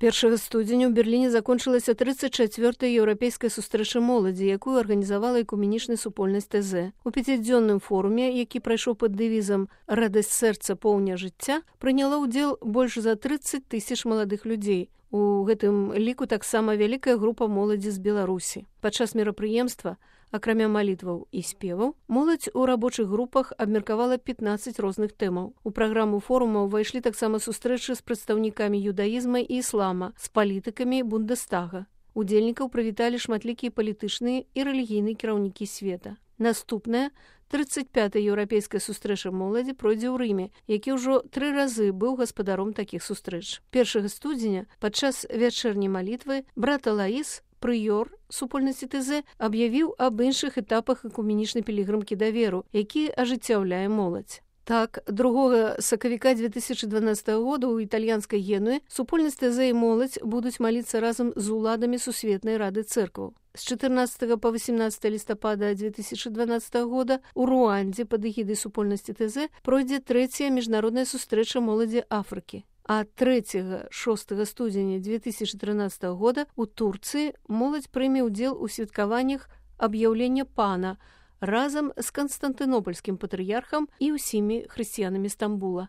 1 студзеня ў Берліне закончылася 34-я еўрапейская сустрэча моладзі, якую арганізавала экуменічная супольнасць ТЗ. У 5-дзённым форуме, які прайшоў пад дэвізам «Радасць сэрца, поўня жыцця», прыняла ўдзел больш за 30 000 маладых людзей. У гэтым ліку таксама вялікая група моладзі з Беларусі. Падчас мерапрыемства, акрамя малітваў і спеваў, моладзь у рабочых групах абмеркавала 15 розных тэмаў. У праграму форума ўвайшлі таксама сустрэчы з прадстаўнікамі юдаізма і іслама, з палітыкамі Бундестага. Удзельнікаў прывіталі шматлікія палітычныя і рэлігійныя кіраўнікі света. Наступная, 35-я еўрапейская сустрэча моладзі пройдзе ў Рыме, які ўжо 3 разы быў гаспадаром такіх сустрэч. 1 студзеня падчас вячэрняй малітвы брат Алаіс, прыёр супольнасці ТЗ, аб'явіў аб іншых этапах экуменічнай пілігрымкі даверу, які ажыццяўляе моладзь. Так, 2 сакавіка 2012 года ў італьянскай Генуі супольнасць ТЗ і моладзь будуць маліцца разам з уладамі Сусветнай рады цэркваў. З 14 па 18 лістапада 2012 года у Руандзе пад эгідай супольнасці ТЗ пройдзе 3-я міжнародная сустрэча моладзі Афрыкі. А 3-6 студзеня 2013 года у Турцыі моладзь прыме ўдзел у святкаваннях аб'яўлення пана разам з Канстантынопольскім патрыярхам і ўсімі хрысціянамі Стамбула.